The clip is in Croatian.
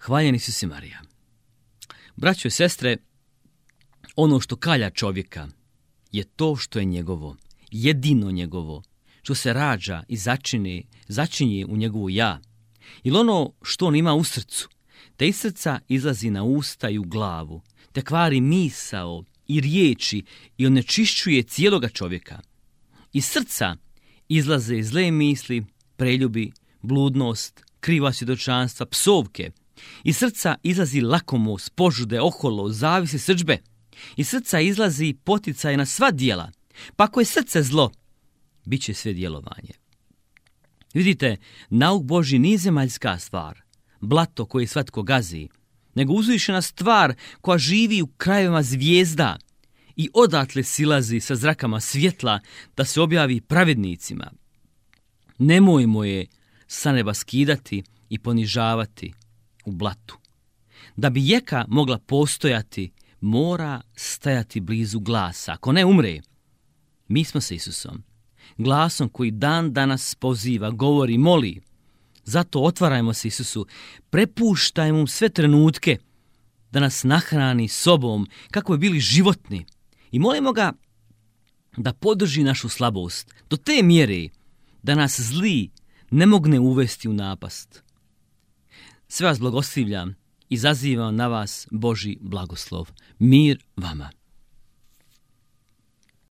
Hvaljen Isus i Marija. Braćo i sestre, ono što kalja čovjeka je to što je njegovo, jedino njegovo, što se rađa i začinje u njegovu ja. Ili ono što on ima u srcu, te iz srca izlazi na usta i u glavu, te kvari misao i riječi i onečišćuje cijeloga čovjeka. Iz srca izlaze zle misli, preljubi, bludnost, kriva svjedočanstva, psovke. Iz srca izlazi lakomost, požude, oholost, zavisi, srdžbe. Iz srca izlazi poticaj na sva djela. Pa ako je srce zlo, bit će sve djelovanje. Vidite, nauk Božji nije zemaljska stvar, blato koje svatko gazi, nego uzvišena stvar koja živi u krajevima zvijezda i odatle silazi sa zrakama svjetla da se objavi pravednicima. Nemojmo je sa neba skidati i ponižavati u blatu. Da bi jeka mogla postojati, mora stajati blizu glasa, ako ne umre. Mi smo sa Isusom, glasom koji dan danas poziva, govori, moli. Zato otvarajmo se Isusu, prepuštajmo mu sve trenutke da nas nahrani sobom kako bi bili životni i molimo ga da podrži našu slabost do te mjere da nas zli ne mogne uvesti u napast. Sve vas blagoslivljam i zazivam na vas Božji blagoslov. Mir vama.